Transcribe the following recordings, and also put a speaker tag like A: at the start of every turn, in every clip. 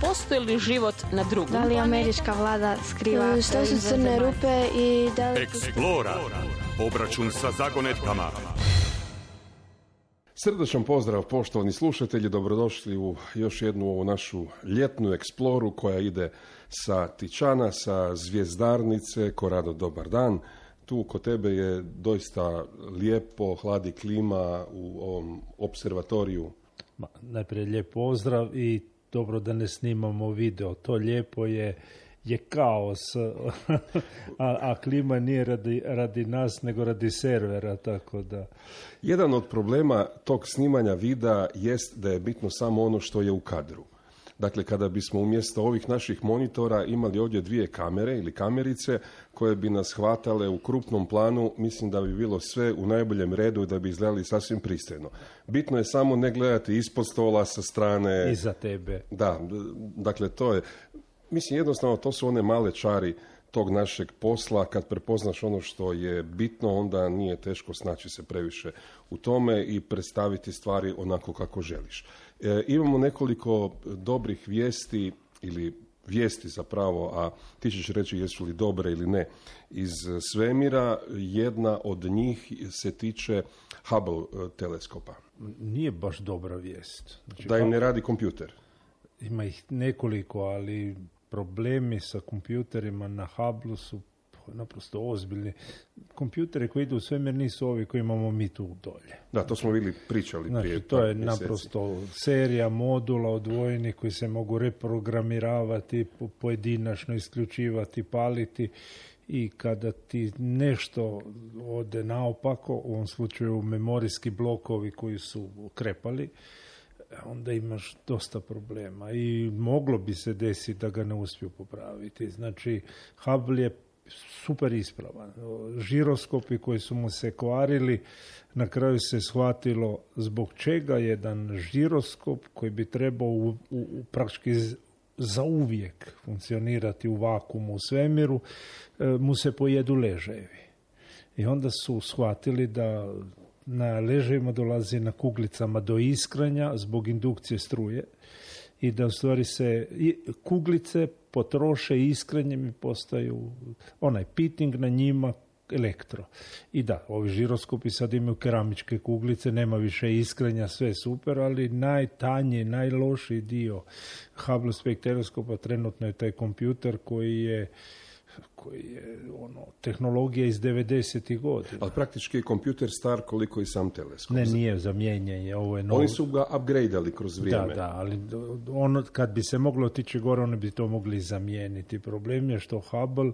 A: postoji li život na drugom?
B: Da li američka vlada skriva?
C: Što su crne rupe i da li...
D: Eksplora. Obračun sa zagonetkama.
E: Srdačan pozdrav, poštovani slušatelji, dobrodošli u još jednu ovu našu ljetnu eksploru koja ide sa Tičana, sa Zvjezdarnice. Korado, dobar dan. Tu kod tebe je doista lijepo, hladi klima u ovom observatoriju.
F: Najprije lijep pozdrav i dobro da ne snimamo video. To lijepo je kaos, a klima nije radi nas, nego radi servera, tako da...
E: Jedan od problema tog snimanja videa jest da je bitno samo ono što je u kadru. Dakle, kada bismo umjesto ovih naših monitora imali ovdje dvije kamere ili kamerice koje bi nas hvatale u krupnom planu, mislim da bi bilo sve u najboljem redu i da bi izgledali sasvim pristojno. Bitno je samo ne gledati ispod stola, sa strane...
F: Iza tebe.
E: Da, dakle, to je... Mislim, jednostavno, to su one male čari tog našeg posla. Kad prepoznaš ono što je bitno, onda nije teško snaći se previše u tome i predstaviti stvari onako kako želiš. Imamo nekoliko dobrih vijesti, ili vijesti zapravo, a ti ćeš reći jesu li dobre ili ne, iz svemira. Jedna od njih se tiče Hubble teleskopa.
F: Nije baš dobra vijest. Znači,
E: da im ne radi kompjuter.
F: Ima ih nekoliko, ali problemi sa kompjuterima na Hubble su naprosto ozbiljni. Kompjuteri koji idu u svemir nisu ovi koji imamo mi tu dolje.
E: Da, to smo pričali prije.
F: Znači, to je naprosto serija modula odvojenih koji se mogu reprogramiravati, pojedinačno isključivati, paliti, i kada ti nešto ode naopako, u ovom slučaju memorijski blokovi koji su krepali, onda imaš dosta problema i moglo bi se desiti da ga ne uspiju popraviti. Znači, Hubble je super ispravan. Žiroskopi koji su mu se kvarili, na kraju se shvatilo zbog čega jedan žiroskop koji bi trebao praktički zauvijek funkcionirati u vakuumu u svemiru, mu se pojedu ležajevi. I onda su shvatili da na ležajima dolazi na kuglicama do iskranja zbog indukcije struje i da u stvari se kuglice potroše iskranjem i postaju onaj pitting na njima elektro. I da, ovi žiroskopi sad imaju keramičke kuglice, nema više iskranja, sve super, ali najtanji, najlošiji dio Hubble spektroskopa trenutno je taj kompjuter koji je tehnologija iz 90. godina.
E: Ali praktički je kompjuter star koliko i sam teleskop.
F: Ne, nije za mijenjanje. Ovo je novo.
E: Oni su ga upgradeali kroz vrijeme.
F: Da, ali kad bi se moglo otići gore, oni bi to mogli zamijeniti. Problem je što Hubble,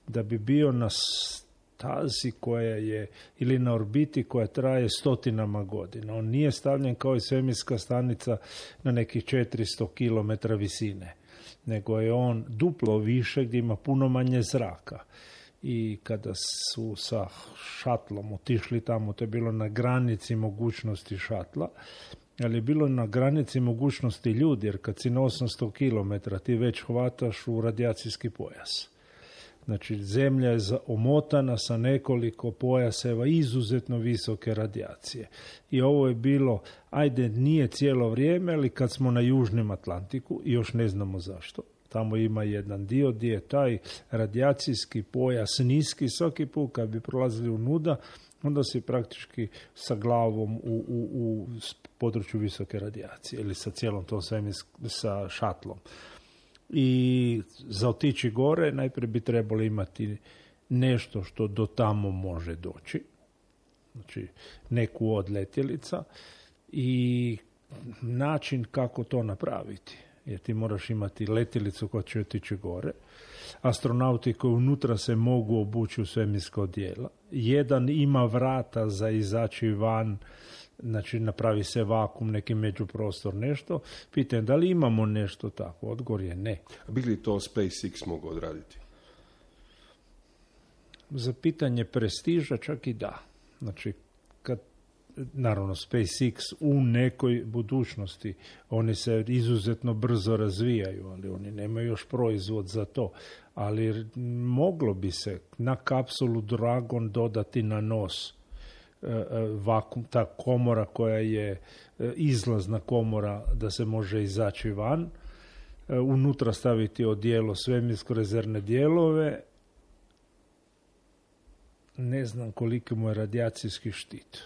F: da bi bio na stazi koja je, ili na orbiti koja traje stotinama godina. On nije stavljen kao i svemirska stanica na nekih 400 km visine, nego je on duplo više gdje ima puno manje zraka. I kada su sa šatlom otišli tamo, to je bilo na granici mogućnosti šatla, ali je bilo na granici mogućnosti ljudi, jer kad si na 800 km ti već hvataš u radijacijski pojas. Znači, zemlja je omotana sa nekoliko pojaseva izuzetno visoke radijacije. I ovo je bilo, ajde, nije cijelo vrijeme, ali kad smo na Južnom Atlantiku, i još ne znamo zašto, tamo ima jedan dio gdje je taj radijacijski pojas niski, svaki put kad bi prolazili unuda, onda si praktički sa glavom u području visoke radijacije, ili sa cijelom tom sa šatlom. I za otići gore najprije bi trebalo imati nešto što do tamo može doći, znači neku od letjelica, i način kako to napraviti. Jer ti moraš imati letjelicu koja će otići gore, astronauti koji unutra se mogu obući u svemirska odijela, jedan ima vrata za izaći van, znači napravi se vakuum, neki međuprostor, nešto. Pitanje, da li imamo nešto tako? Odgovor je ne.
E: Bi li to SpaceX mogu odraditi?
F: Za pitanje prestiža čak i da. Znači, naravno, SpaceX u nekoj budućnosti, oni se izuzetno brzo razvijaju, ali oni nemaju još proizvod za to. Ali moglo bi se na kapsulu Dragon dodati na nos vakuum, ta komora koja je izlazna komora da se može izaći van, unutra staviti odijelo, svemirsko rezervne dijelove, ne znam koliko mu je radijacijski štit.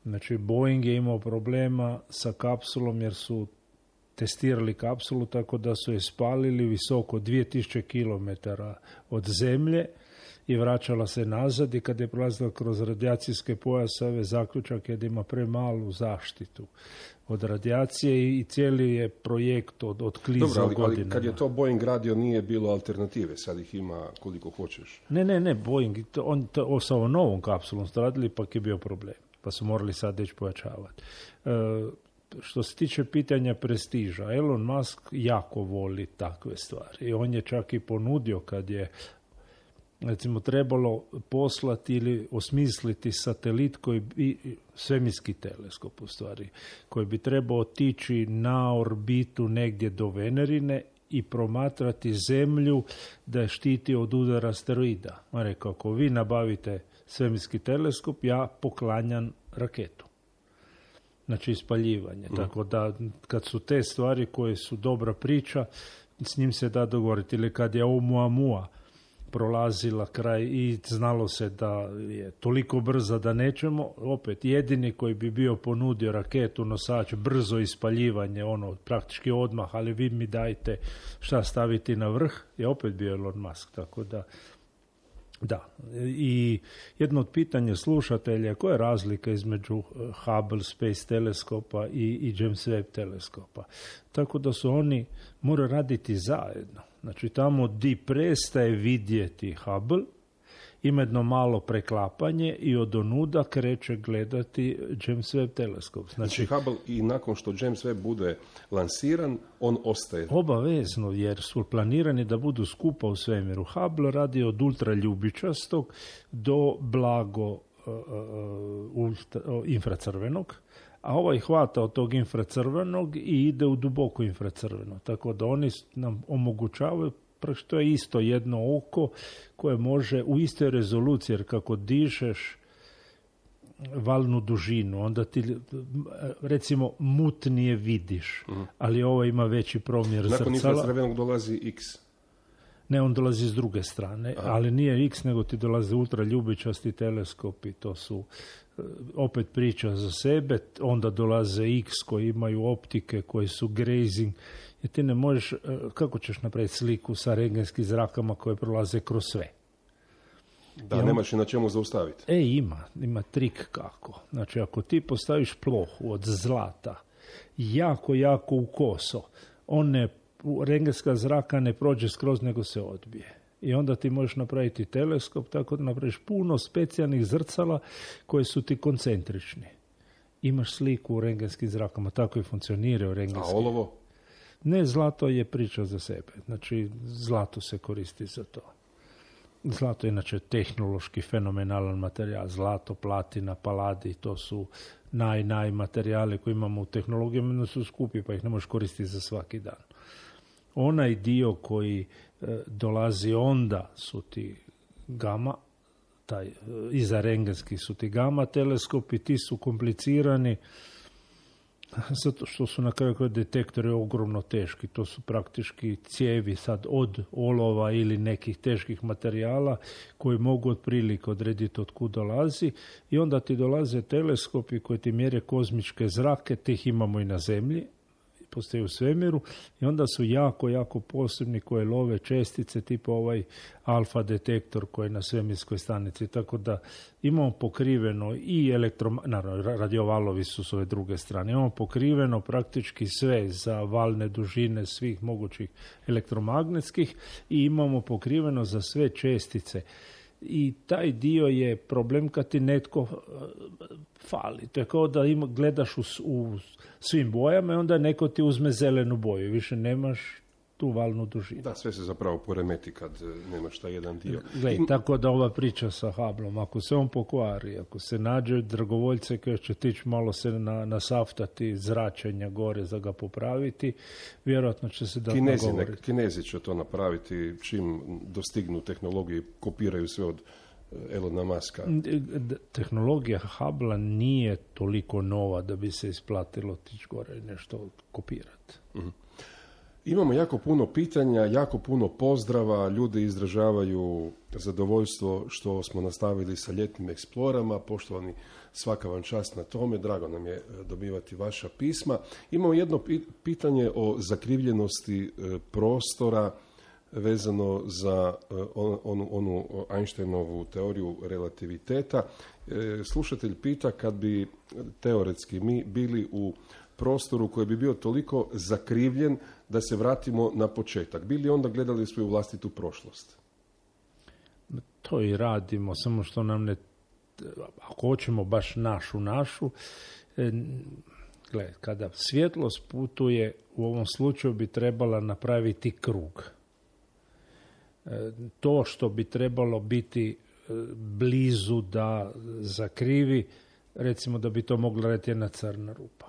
F: Znači, Boeing je imao problema sa kapsulom jer su testirali kapsulu tako da su je spalili visoko 2000 km od zemlje i vraćala se nazad i kad je prolazila kroz radijacijske pojaseve, zaključak je da ima premalu zaštitu od radijacije i cijeli je projekt od kliza godina.
E: Dobro, ali kad je to Boeing radio nije bilo alternative, sad ih ima koliko hoćeš.
F: Ne, Boeing, on sa ovom novom kapsulom su radili, ipak je bio problem, pa su morali sad već pojačavati. Što se tiče pitanja prestiža, Elon Musk jako voli takve stvari i on je čak i ponudio kad je recimo trebalo poslati ili osmisliti satelit koji bi, svemirski teleskop u stvari, koji bi trebao otići na orbitu negdje do Venerine i promatrati Zemlju da je štiti od udara asteroida. On rekao, ako vi nabavite svemirski teleskop, ja poklanjam raketu. Znači ispaljivanje. Tako da kad su te stvari koje su dobra priča, s njim se da dogovoriti. Ili kad je Oumuamua prolazila kraj i znalo se da je toliko brza da nećemo, opet jedini koji bi bio ponudio raketu, nosač, brzo ispaljivanje, praktički odmah, ali vi mi dajte šta staviti na vrh, je opet bio Elon Musk. Tako da, i jedno od pitanja slušatelja, koja je razlika između Hubble Space teleskopa i James Webb teleskopa? Tako da su oni moraju raditi zajedno. Znači tamo di prestaje vidjeti Hubble, ima jedno malo preklapanje i od onuda kreće gledati James Webb teleskop.
E: Znači Hubble i nakon što James Webb bude lansiran, on ostaje.
F: Obavezno, jer su planirani da budu skupa u svemiru. Hubble radi od ultraljubičastog do blago infracrvenog, a ovaj hvata od tog infracrvenog i ide u duboko infracrveno. Tako da oni nam omogućavaju, što je isto jedno oko koje može u istoj rezoluciji, jer kako dižeš valnu dužinu, onda ti recimo mutnije vidiš, ali ovo ima veći promjer zrcala.
E: Nakon infracrvenog dolazi X.
F: Ne, on dolazi s druge strane, ali nije X, nego ti dolaze ultraljubičasti teleskopi, to su opet priča za sebe, onda dolaze X koji imaju optike, koji su grazing, jer ti ne možeš, kako ćeš napraviti sliku sa rengenskim zrakama koje prolaze kroz sve?
E: Da, nemaš i na čemu zaustaviti.
F: Ima trik kako. Znači, ako ti postaviš plohu od zlata, jako u koso, rengenska zraka ne prođe skroz, nego se odbije. I onda ti možeš napraviti teleskop tako da napraviš puno specijalnih zrcala koje su ti koncentrični. Imaš sliku u rengenskim zrakama, tako i funkcionira u rengenskim.
E: A olovo?
F: Ne, zlato je priča za sebe. Znači, zlato se koristi za to. Zlato je inače tehnološki fenomenalan materijal. Zlato, platina, paladi, to su naj materijali koje imamo u tehnologijama, su skupi pa ih ne možeš koristiti za svaki dan. Onaj dio koji dolazi onda su ti gama, iza rengenski su ti gama teleskopi, ti su komplicirani zato što su na kraju detektori ogromno teški. To su praktički cijevi sad od olova ili nekih teških materijala koji mogu otprilike odrediti od kud dolazi i onda ti dolaze teleskopi koji ti mjere kozmičke zrake, tih imamo i na Zemlji, postoje u svemiru i onda su jako posebni koje love čestice tipa ovaj alfa detektor koji je na svemirskoj stanici. Tako da imamo pokriveno i naravno radiovalovi su s ove druge strane. Imamo pokriveno praktički sve za valne dužine svih mogućih elektromagnetskih i imamo pokriveno za sve čestice. I taj dio je problem kad ti netko fali. To je kao da gledaš u svim bojama i onda neko ti uzme zelenu boju. Više nemaš tu valnu dužinu.
E: Da, sve se zapravo poremeti kad nemaš taj jedan dio.
F: Tako da ova priča sa Hubbleom, ako se on pokvari, ako se nađe dragovoljce koji će tići malo se nasaftati zračenja gore za ga popraviti, vjerojatno će se dati nagovoriti.
E: Kinezi će to napraviti čim dostignu tehnologiju, kopiraju sve od Elona Muska.
F: Tehnologija Hubble nije toliko nova da bi se isplatilo tići gore i nešto kopirati.
E: Imamo jako puno pitanja, jako puno pozdrava, ljudi izražavaju zadovoljstvo što smo nastavili sa ljetnim eksplorama. Poštovani, svaka vam čast na tome, drago nam je dobivati vaša pisma. Imamo jedno pitanje o zakrivljenosti prostora vezano za onu Einsteinovu teoriju relativiteta. Slušatelj pita, kad bi teoretski mi bili u prostoru koji bi bio toliko zakrivljen da se vratimo na početak, bili onda gledali svoju vlastitu prošlost?
F: To i radimo, samo što nam ne, ako hoćemo baš našu, kada svjetlost putuje, u ovom slučaju bi trebala napraviti krug. To što bi trebalo biti blizu da zakrivi, recimo da bi to mogla raditi jedna crna rupa.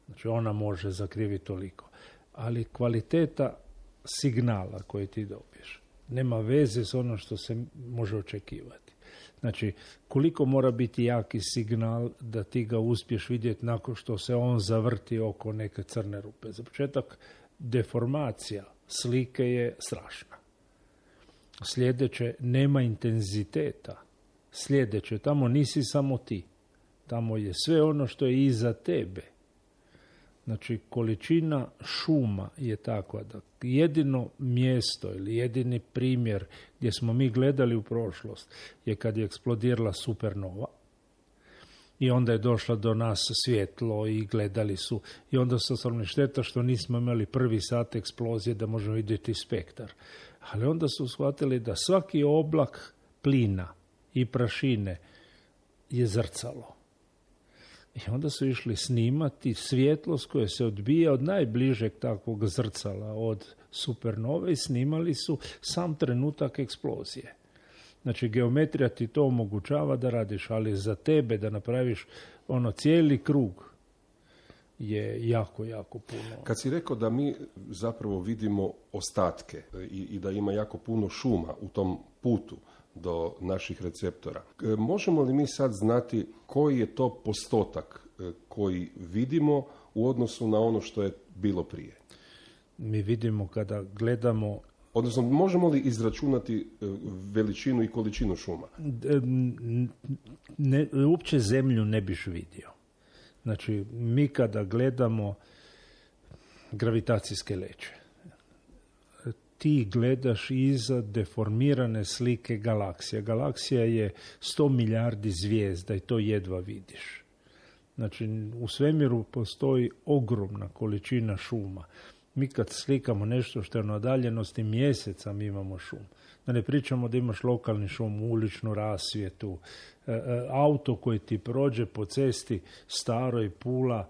F: Znači ona može zakriviti toliko. Ali kvaliteta signala koji ti dobiješ nema veze s ono što se može očekivati. Znači, koliko mora biti jaki signal da ti ga uspiješ vidjeti nakon što se on zavrti oko neke crne rupe. Za početak, deformacija slike je strašna. Sljedeće, nema intenziteta. Sljedeće, tamo nisi samo ti. Tamo je sve ono što je iza tebe. Znači, količina šuma je takva da jedino mjesto ili jedini primjer gdje smo mi gledali u prošlost je kad je eksplodirala supernova i onda je došla do nas svjetlo i gledali su i onda su stvarno šteta što nismo imali prvi sat eksplozije da možemo vidjeti spektar. Ali onda su shvatili da svaki oblak plina i prašine je zrcalo. I onda su išli snimati svjetlost koja se odbija od najbližeg takvog zrcala, od supernove, i snimali su sam trenutak eksplozije. Znači, geometrija ti to omogućava da radiš, ali za tebe da napraviš cijeli krug je jako, jako puno.
E: Kad si rekao da mi zapravo vidimo ostatke i da ima jako puno šuma u tom putu do naših receptora, možemo li mi sad znati koji je to postotak koji vidimo u odnosu na ono što je bilo prije?
F: Mi vidimo kada gledamo...
E: Odnosno, možemo li izračunati veličinu i količinu šuma?
F: Uopće zemlju ne biš vidio. Znači, mi kada gledamo gravitacijske leće, ti gledaš iza deformirane slike galaksija. Galaksija je 100 milijardi zvijezda i to jedva vidiš. Znači, u svemiru postoji ogromna količina šuma. Mi kad slikamo nešto što je na udaljenosti mjeseca, mi imamo šum. Da ne pričamo da imaš lokalni šum, uličnu rasvjetu, auto koji ti prođe po cesti staroj Pula,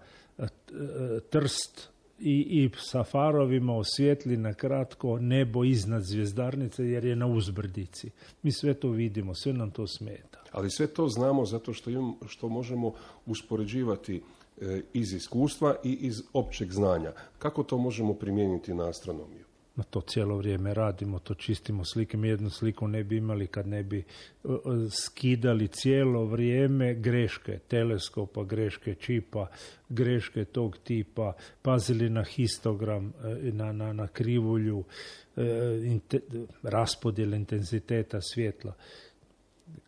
F: Trst, i sa farovima osvijetli na kratko nebo iznad zvjezdarnice jer je na uzbrdici. Mi sve to vidimo, sve nam to smeta.
E: Ali sve to znamo zato što možemo uspoređivati iz iskustva i iz općeg znanja. Kako to možemo primijeniti na astronomiju?
F: To cijelo vrijeme radimo, to čistimo slike. Mi jednu sliku ne bi imali kad ne bi skidali cijelo vrijeme greške teleskopa, greške čipa, greške tog tipa, pazili na histogram, na krivulju, raspodjel intenziteta svjetla.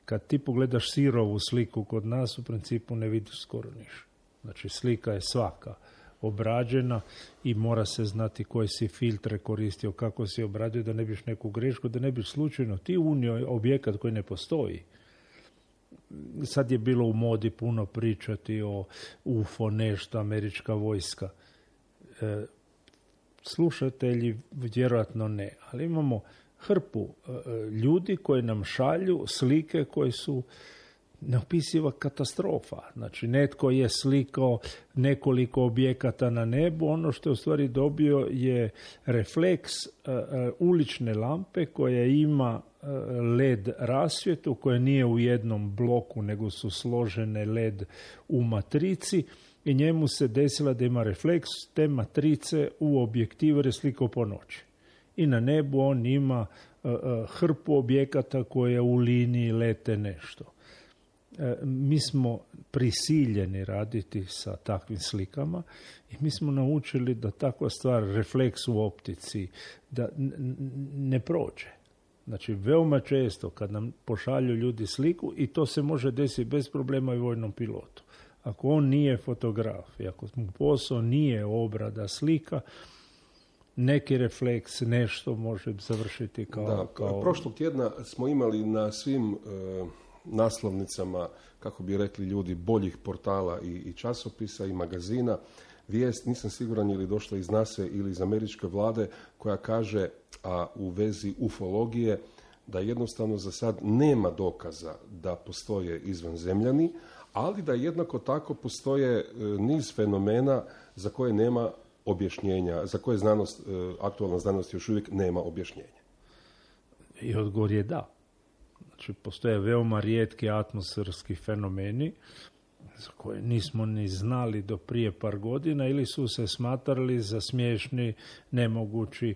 F: Kad ti pogledaš sirovu sliku kod nas, u principu ne vidiš skoro ništa. Znači, slika je svaka obrađena i mora se znati koje si filtre koristio, kako si obradio, da ne biš neku grešku, da ne biš slučajno ti unio objekat koji ne postoji. Sad je bilo u modi puno pričati o UFO, nešto, američka vojska. Slušatelji vjerojatno ne, ali imamo hrpu ljudi koji nam šalju slike koje su neopisiva katastrofa. Znači, netko je slikao nekoliko objekata na nebu, ono što je u stvari dobio je refleks ulične lampe koja ima LED rasvjetu, koja nije u jednom bloku, nego su složene LED u matrici i njemu se desila da ima refleks te matrice u objektivu jer je slikao po noći. I na nebu on ima hrpu objekata koje u liniji lete nešto. mi smo prisiljeni raditi sa takvim slikama i mi smo naučili da takva stvar, refleks u optici, da ne prođe. Znači, veoma često kad nam pošalju ljudi sliku, i to se može desiti bez problema i vojnom pilotu. Ako on nije fotograf i ako mu posao nije obrada slika, neki refleks, nešto može završiti kao...
E: Prošlog tjedna smo imali na svim naslovnicama, kako bi rekli ljudi, boljih portala i časopisa i magazina, vijest, nisam siguran je li došla iz NASA ili iz američke vlade, koja kaže, a u vezi ufologije, da jednostavno za sad nema dokaza da postoje izvanzemljani, ali da jednako tako postoje niz fenomena za koje nema objašnjenja, za koje znanost, aktualna znanost još uvijek nema objašnjenja.
F: I odgovor je da. Znači, postoje veoma rijetki atmosferski fenomeni za koje nismo ni znali do prije par godina ili su se smatrali za smiješni, nemogući.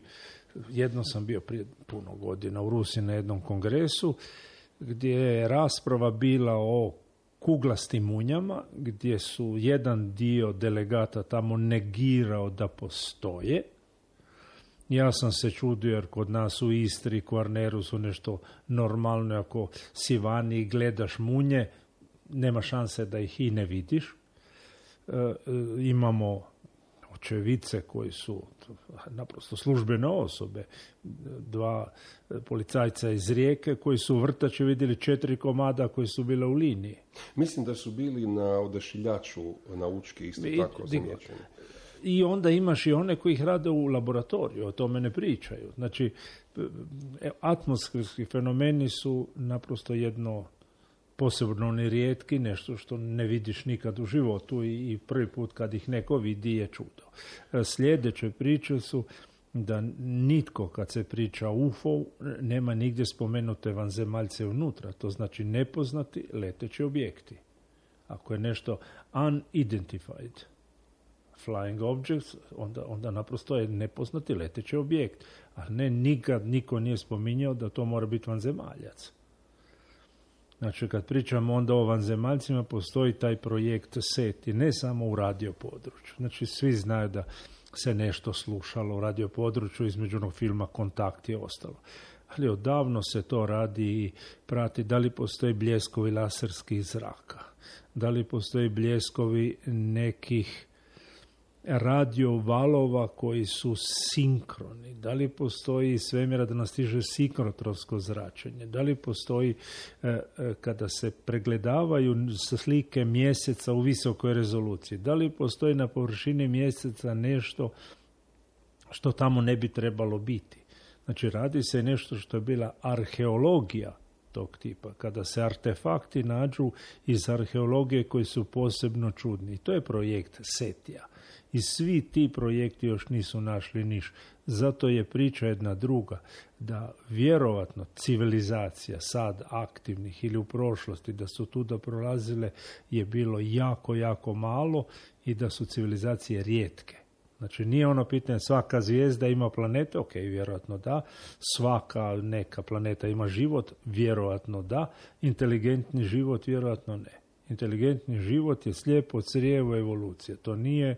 F: Jedno sam bio prije puno godina u Rusiji na jednom kongresu gdje je rasprava bila o kuglastim munjama, gdje su jedan dio delegata tamo negirao da postoje. Ja sam se čudio jer kod nas u Istri, Kvarneru su nešto normalno, ako si vani i gledaš munje, nema šanse da ih i ne vidiš. Imamo očevice koji su naprosto službene osobe, 2 policajca iz Rijeke koji su u vrtači vidjeli 4 komada koji su bile u liniji.
E: Mislim da su bili na Odašiljaču na Učki isto tako zamjećeni.
F: I onda imaš i one koji ih rade u laboratoriju, o tome ne pričaju. Znači, atmosferski fenomeni su naprosto jedno posebno nerijetki, nešto što ne vidiš nikad u životu i prvi put kad ih neko vidi je čudo. Sljedeće priče su da nitko kad se priča o UFO nema nigdje spomenute vanzemaljce unutra, to znači nepoznati leteći objekti. Ako je nešto unidentified flying objects, onda naprosto je nepoznati leteći objekt. A ne, nikad niko nije spominjao da to mora biti vanzemaljac. Znači, kad pričamo onda o vanzemaljcima, postoji taj projekt SETI, ne samo u radio području. Znači, svi znaju da se nešto slušalo u radio području, između onog filma Kontakt i ostalo. Ali odavno se to radi i prati da li postoji bljeskovi laserskih zraka, da li postoji bljeskovi nekih radio valova koji su sinkroni, da li postoji svemira da nas stiže sinkrotronsko zračenje, da li postoji kada se pregledavaju slike mjeseca u visokoj rezoluciji, da li postoji na površini mjeseca nešto što tamo ne bi trebalo biti. Znači, radi se nešto što je bila arheologija tog tipa, kada se artefakti nađu iz arheologije koji su posebno čudni. To je projekt SETI-a. I svi ti projekti još nisu našli niš. Zato je priča jedna druga, da vjerovatno civilizacija sad aktivnih ili u prošlosti da su tu da prolazile je bilo jako, jako malo i da su civilizacije rijetke. Znači, nije ono pitanje svaka zvijezda ima planete, ok, vjerojatno da, svaka neka planeta ima život, vjerojatno da, inteligentni život, vjerojatno ne. Inteligentni život je slijepo crijevo evolucije, to nije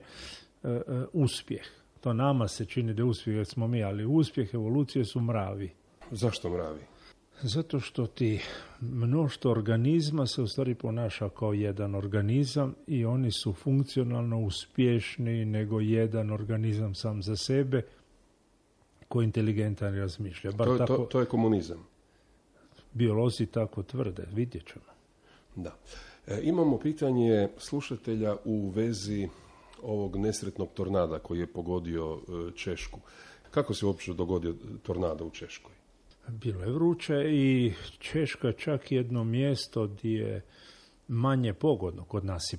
F: uspjeh. To nama se čini da je uspjeh jer smo mi, ali uspjeh evolucije su mravi.
E: Zašto mravi?
F: Zato što ti mnoštvo organizma se u stvari ponaša kao jedan organizam i oni su funkcionalno uspješniji nego jedan organizam sam za sebe koji inteligentan razmišlja.
E: To je komunizam.
F: Biolozi tako tvrde, vidjet ćemo.
E: Da. Imamo pitanje slušatelja u vezi ovog nesretnog tornada koji je pogodio Češku. Kako se uopće dogodio tornado u Češkoj?
F: Bilo je vruće i Češka čak jedno mjesto gdje je manje pogodno. Kod nas je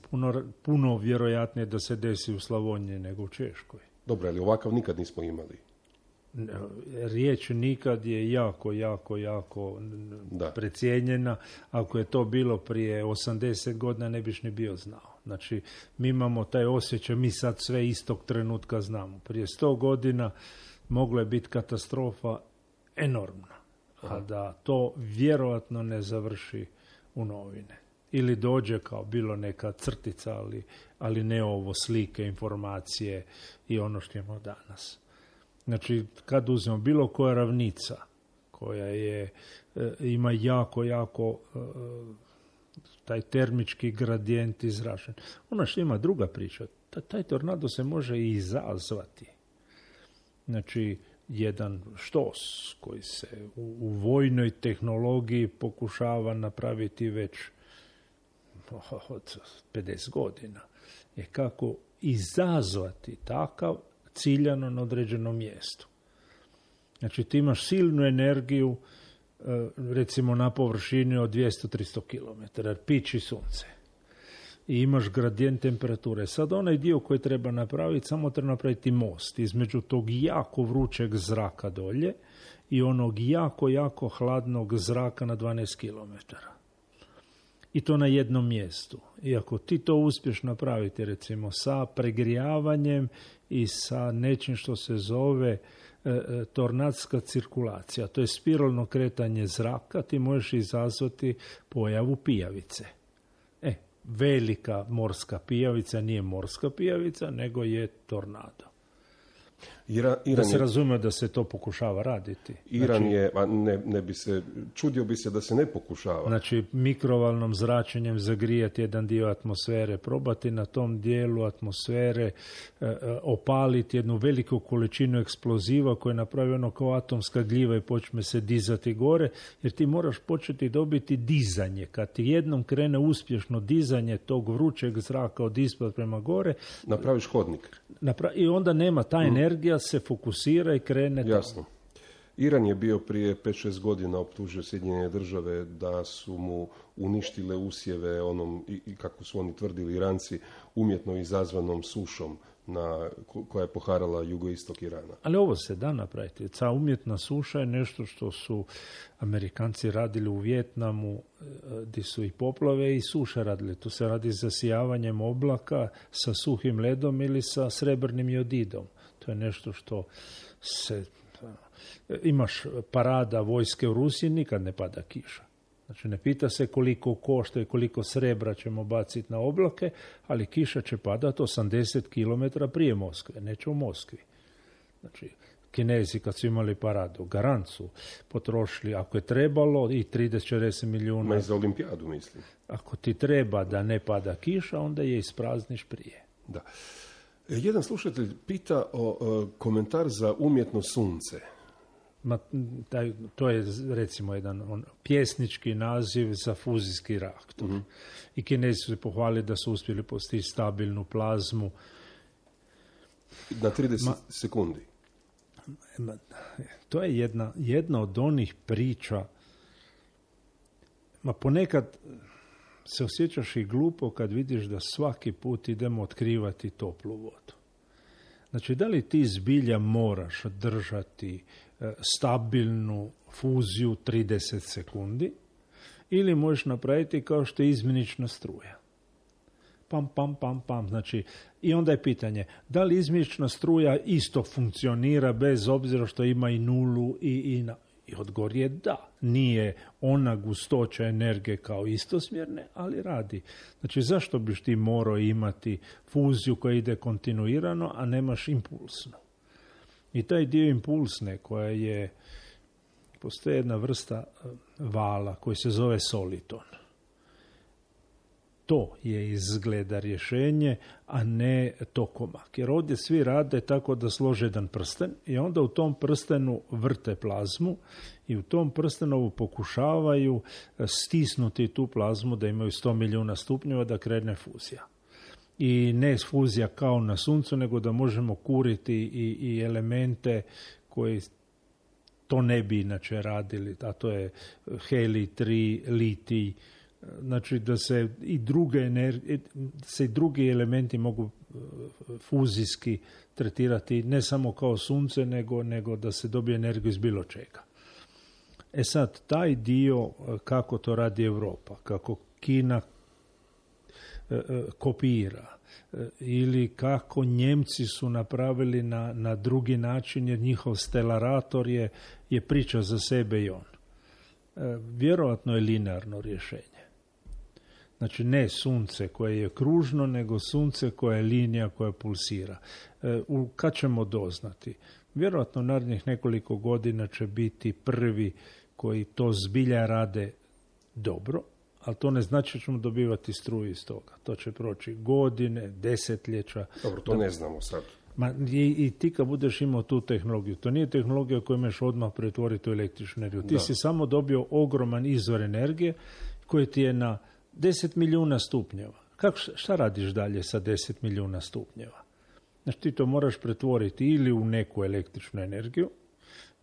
F: puno vjerojatnije da se desi u Slavoniji nego u Češkoj.
E: Dobro, ali ovakav nikad nismo imali.
F: Riječ nikad je jako precijenjena. Ako je to bilo prije 80 godina ne biš ni bio znao. Znači, mi imamo taj osjećaj, mi sad sve istog trenutka znamo. Prije 100 godina mogla je biti katastrofa enormna, a da to vjerojatno ne završi u novine. Ili dođe kao bilo neka crtica, ali ne ovo slike, informacije i ono što imamo danas. Znači, kad uzmemo bilo koja ravnica koja ima jako taj termički gradijent izražen. Ono što ima druga priča, taj tornado se može i izazvati. Znači, jedan štos koji se u vojnoj tehnologiji pokušava napraviti već od 50 godina je kako izazvati takav ciljano na određenom mjestu. Znači, ti imaš silnu energiju, recimo na površini od 200-300 km, jer piči sunce. I imaš gradijent temperature. Sad onaj dio koji treba napraviti, samo treba napraviti most između tog jako vrućeg zraka dolje i onog jako hladnog zraka na 12 km. I to na jednom mjestu. I ako ti to uspješ napraviti, recimo, sa pregrijavanjem i sa nečim što se zove tornadska cirkulacija, to je spiralno kretanje zraka, ti možeš izazvati pojavu pijavice. Velika morska pijavica nije morska pijavica, nego je tornado. Da se razume da se to pokušava raditi.
E: Iran je, ne bi se, čudio bi se da se ne pokušava.
F: Znači, mikrovalnom zračenjem zagrijati jedan dio atmosfere, probati na tom dijelu atmosfere opaliti jednu veliku količinu eksploziva koja je napravljeno kao atomska gljiva i počne se dizati gore, jer ti moraš početi dobiti dizanje. Kad ti jednom krene uspješno dizanje tog vrućeg zraka od ispod prema gore,
E: napraviš hodnik.
F: I onda nema ta energija, se fokusira i krene.
E: Jasno. Iran je bio prije 5-6 godina optužio Sjedinjene Države da su mu uništile usjeve onom, i kako su oni tvrdili Iranci, umjetno izazvanom sušom koja je poharala jugoistok Irana.
F: Ali ovo se da napraviti. Ta umjetna suša je nešto što su Amerikanci radili u Vijetnamu, gdje su i poplave i suše radili. Tu se radi zasijavanjem oblaka sa suhim ledom ili sa srebrnim jodidom. To je nešto što se... Imaš parada vojske u Rusiji, nikad ne pada kiša. Znači, ne pita se koliko košta i koliko srebra ćemo baciti na oblake, ali kiša će padati 80 km prije Moskve, neće u Moskvi. Znači, Kinezi kad su imali paradu, garant su potrošili, ako je trebalo, i 30-40 milijuna.
E: Ma i za olimpijadu, mislim.
F: Ako ti treba da ne pada kiša, onda je isprazniš prije.
E: Da. Jedan slušatelj pita o komentar za umjetno sunce.
F: To je, recimo, jedan pjesnički naziv za fuzijski reaktor. Mm-hmm. I Kinezi su se pohvalili da su uspjeli postići stabilnu plazmu.
E: Na 30 sekundi.
F: To je jedna od onih priča. Ponekad se osjećaš i glupo kad vidiš da svaki put idemo otkrivati toplu vodu. Znači, da li ti zbilja moraš držati stabilnu fuziju 30 sekundi ili možeš napraviti kao što je izmjenična struja. Pam, pam, pam, pam. Znači, i onda je pitanje, da li izmjenična struja isto funkcionira bez obzira što ima i nulu i odgovor je da. Nije ona gustoća energije kao istosmjerne, ali radi. Znači, zašto biš ti morao imati fuziju koja ide kontinuirano, a nemaš impulsnu? I taj dio impulsne koja je, postoji jedna vrsta vala koji se zove soliton. To je izgleda rješenje, a ne tokomak. Jer ovdje svi rade tako da slože jedan prsten i onda u tom prstenu vrte plazmu i u tom prstenovu pokušavaju stisnuti tu plazmu da imaju 100 milijuna stupnjeva da krene fuzija. I ne fuzija kao na suncu, nego da možemo kuriti i elemente koji to ne bi inače radili, a to je helij 3, litij. Znači da se i drugi elementi mogu fuzijski tretirati ne samo kao sunce, nego da se dobije energiju iz bilo čega. Sad, taj dio kako to radi Europa, kako Kina kopira, ili kako Njemci su napravili na drugi način, jer njihov stelarator je priča za sebe i on. Vjerojatno je linearno rješenje. Znači ne sunce koje je kružno, nego sunce koje je linija koja pulsira. Kad ćemo doznati? Vjerojatno narednih nekoliko godina će biti prvi koji to zbilja rade dobro, ali to ne znači da ćemo dobivati struju iz toga. To će proći godine, desetljeća.
E: Dobro, to ne znamo sad.
F: I ti kad budeš imao tu tehnologiju, to nije tehnologija koju imaš odmah pretvoriti u električnu energiju. Ti si samo dobio ogroman izvor energije koji ti je na 10 milijuna stupnjeva. Šta radiš dalje sa 10 milijuna stupnjeva? Znači ti to moraš pretvoriti ili u neku električnu energiju,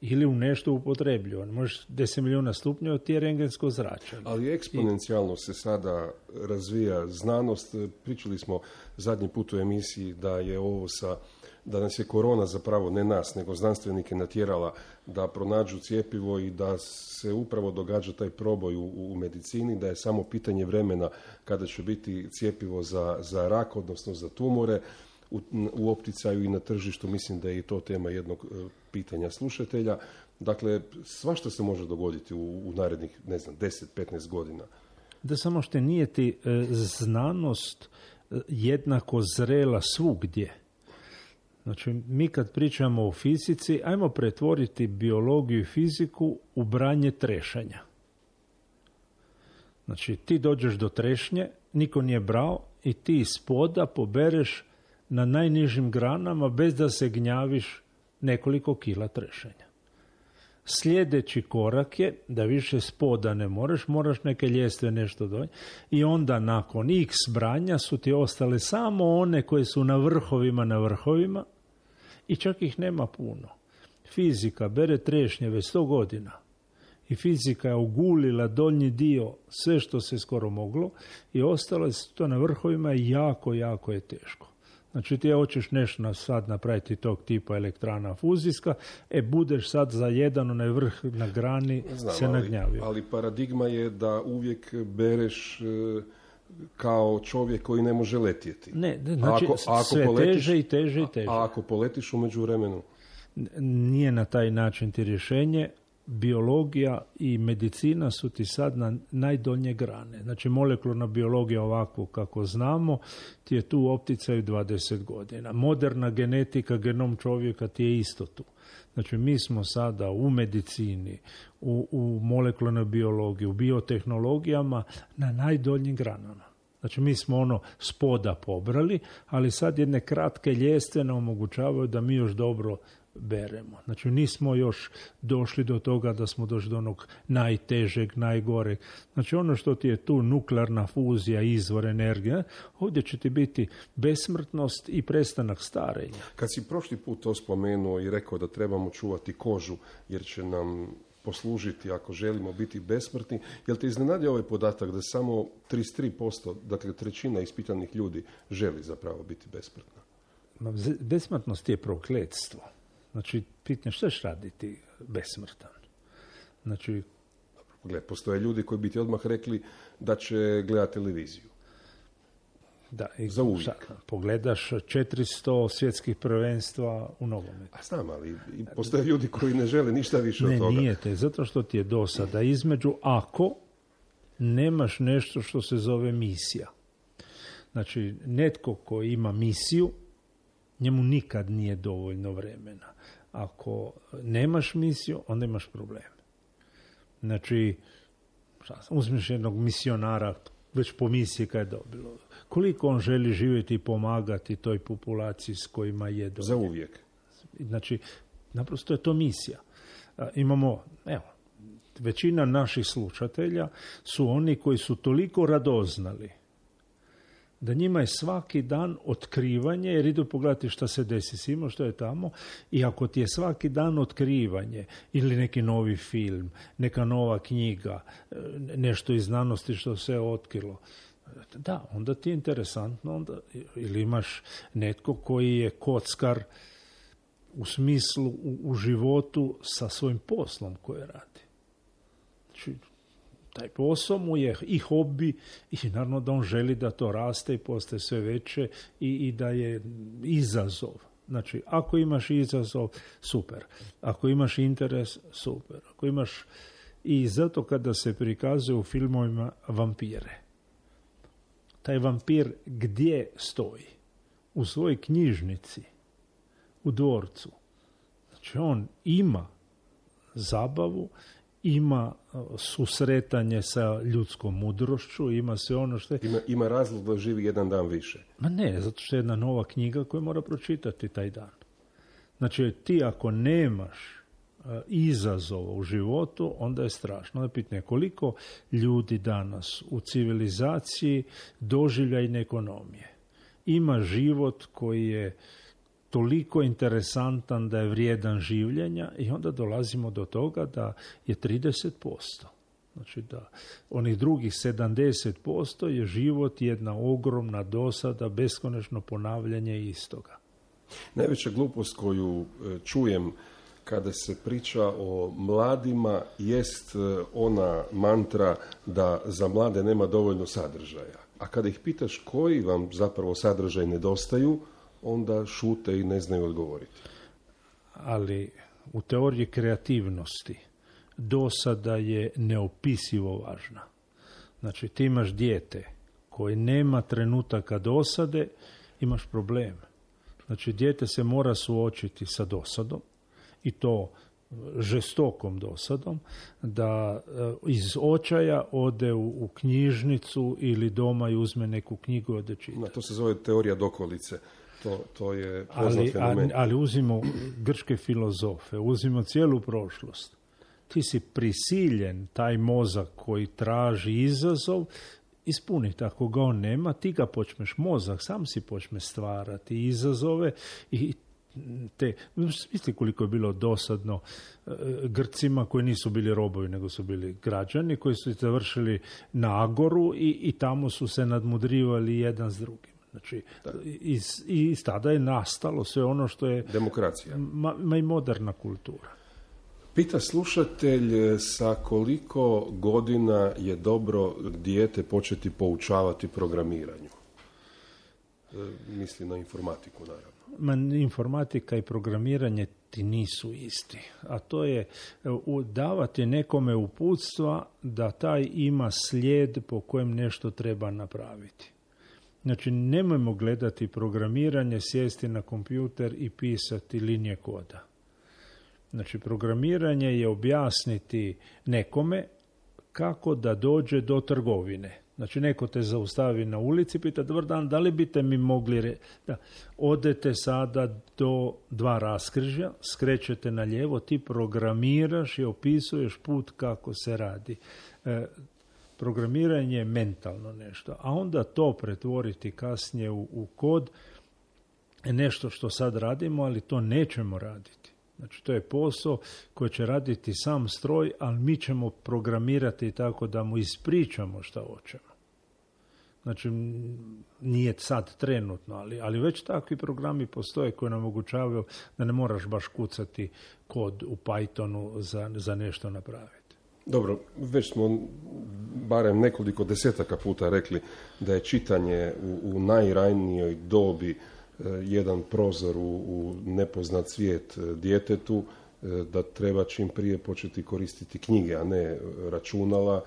F: ili u nešto upotrebljivo. Možeš 10 milijuna stupnjeva, ti je rengensko zračenje.
E: Ali eksponencijalno se sada razvija znanost. Pričali smo zadnji put u emisiji da je ovo da nas je korona zapravo, ne nas, nego znanstvenike natjerala da pronađu cjepivo i da se upravo događa taj proboj u medicini, da je samo pitanje vremena kada će biti cjepivo za rak, odnosno za tumore u opticaju i na tržištu. Mislim da je i to tema jednog pitanja slušatelja. Dakle, svašta se može dogoditi u narednih, 10-15 godina.
F: Da samo što nije ti znanost jednako zrela svugdje. Znači, mi kad pričamo o fizici, ajmo pretvoriti biologiju i fiziku u branje trešanja. Znači, ti dođeš do trešnje, niko nije brao i ti iz poda pobereš na najnižim granama bez da se gnjaviš nekoliko kila trešenja. Sljedeći korak je da više spoda ne moraš neke ljestve nešto donijeti i onda nakon x branja su ti ostale samo one koje su na vrhovima i čak ih nema puno. Fizika bere trešnje već 100 godina i fizika je ogulila donji dio sve što se skoro moglo i ostalo je to na vrhovima i jako je teško. Znači ti hoćeš nešto sad napraviti tog tipa elektrana fuzijska, budeš sad za jedan onaj vrh na grani se nagnjavio.
E: Ali paradigma je da uvijek bereš kao čovjek koji ne može letjeti.
F: Ne, znači sve teže i teže.
E: A ako poletiš u međuvremenu?
F: Nije na taj način ti rješenje. Biologija i medicina su ti sad na najdonje grane. Znači molekularna biologija ovako kako znamo ti je tu u opticaju 20 godina. Moderna genetika, genom čovjeka ti je isto tu. Znači mi smo sada u medicini, u molekularnoj biologiji, u biotehnologijama na najdoljim granama. Znači mi smo spoda pobrali, ali sad jedne kratke ljestve nam omogućavaju da mi još dobro beremo. Znači nismo još došli do toga da smo došli do onog najtežeg, najgoreg. Znači ono što ti je tu nuklearna fuzija, izvor energije, ovdje će ti biti besmrtnost i prestanak starenja.
E: Kad si prošli put to spomenuo i rekao da trebamo čuvati kožu jer će nam poslužiti ako želimo biti besmrtni, jel te iznenadio ovaj podatak da samo 33%, dakle trećina ispitanih ljudi želi zapravo biti besmrtna?
F: Besmrtnost je prokletstvo. Znači, pitanje što ćeš raditi besmrtan? Znači,
E: postoje ljudi koji bi ti odmah rekli da će gledati televiziju.
F: Da,
E: za uvijek.
F: Pogledaš 400 svjetskih prvenstva u nogometu.
E: A znam, ali postoje ljudi koji ne žele ništa više od toga.
F: Ne, nije te, zato što ti je dosada između ako nemaš nešto što se zove misija. Znači, netko ko ima misiju, njemu nikad nije dovoljno vremena. Ako nemaš misiju, onda imaš problem. Znači, uzmiš jednog misionara, već po misiji kad je dobilo. Koliko on želi živjeti i pomagati toj populaciji s kojima je dobilo.
E: Za uvijek.
F: Znači, naprosto je to misija. Imamo, većina naših slušatelja su oni koji su toliko radoznali da njima je svaki dan otkrivanje, jer idu pogledati šta se desi s njima, što je tamo, i ako ti je svaki dan otkrivanje ili neki novi film, neka nova knjiga, nešto iz znanosti što se je otkrilo, da, onda ti je interesantno, onda, ili imaš netko koji je kockar u smislu u životu sa svojim poslom koje radi. Znači, taj posao mu je i hobi i naravno da on želi da to raste i postaje sve veće i da je izazov. Znači, ako imaš izazov, super. Ako imaš interes, super. Ako imaš... I zato kada se prikazuje u filmovima vampire, taj vampir gdje stoji? U svojoj knjižnici, u dvorcu. Znači on ima zabavu, ima susretanje sa ljudskom mudrošću, ima sve ono što je...
E: Ima razlog da živi jedan dan više.
F: Ma ne, zato što je jedna nova knjiga koju mora pročitati taj dan. Znači ti ako nemaš izazova u životu, onda je strašno. Onda pitanje koliko ljudi danas u civilizaciji doživljajne ekonomije ima život koji je toliko interesantan da je vrijedan življenja i onda dolazimo do toga da je 30%. Znači da onih drugih 70% je život jedna ogromna dosada, beskonačno ponavljanje istoga.
E: Najveća glupost koju čujem kada se priča o mladima jest ona mantra da za mlade nema dovoljno sadržaja. A kada ih pitaš koji vam zapravo sadržaj nedostaju, onda šute i ne znaju odgovoriti.
F: Ali u teoriji kreativnosti dosada je neopisivo važna. Znači ti imaš dijete koje nema trenutaka dosade, imaš problem. Znači dijete se mora suočiti sa dosadom i to žestokom dosadom, da iz očaja ode u knjižnicu ili doma i uzme neku knjigu i ode čita.
E: To se zove teorija dokolice. To je poznat fenomen.
F: Ali uzimo grčke filozofe, uzimo cijelu prošlost. Ti si prisiljen taj mozak koji traži izazov ispuniti. Ako ga on nema, ti ga počneš, mozak sam si počne stvarati izazove i misli koliko je bilo dosadno Grcima koji nisu bili robovi, nego su bili građani koji su završili na Agoru i tamo su se nadmudrivali jedan s drugim. Znači, iz tada je nastalo sve ono što je
E: demokracija.
F: I moderna kultura.
E: Pita slušatelj sa koliko godina je dobro dijete početi poučavati programiranju. Misli na informatiku, naravno.
F: Informatika i programiranje ti nisu isti. A to je davati nekome uputstva da taj ima slijed po kojem nešto treba napraviti. Znači, nemojmo gledati programiranje, sjesti na kompjuter i pisati linije koda. Znači, programiranje je objasniti nekome kako da dođe do trgovine. Znači, neko te zaustavi na ulici, pita, dobar dan, da li biste mi mogli da odete sada do 2 raskrižja, skrećete na lijevo, ti programiraš i opisuješ put kako se radi. Programiranje je mentalno nešto, a onda to pretvoriti kasnije u kod je nešto što sad radimo, ali to nećemo raditi. Znači, to je posao koji će raditi sam stroj, ali mi ćemo programirati tako da mu ispričamo šta hoćemo. Znači, nije sad trenutno, ali već takvi programi postoje koji nam omogućavaju da ne moraš baš kucati kod u Pythonu za nešto napraviti.
E: Dobro, već smo barem nekoliko desetaka puta rekli da je čitanje u najranijoj dobi jedan prozor u nepoznat svijet djetetu, da treba čim prije početi koristiti knjige, a ne računala.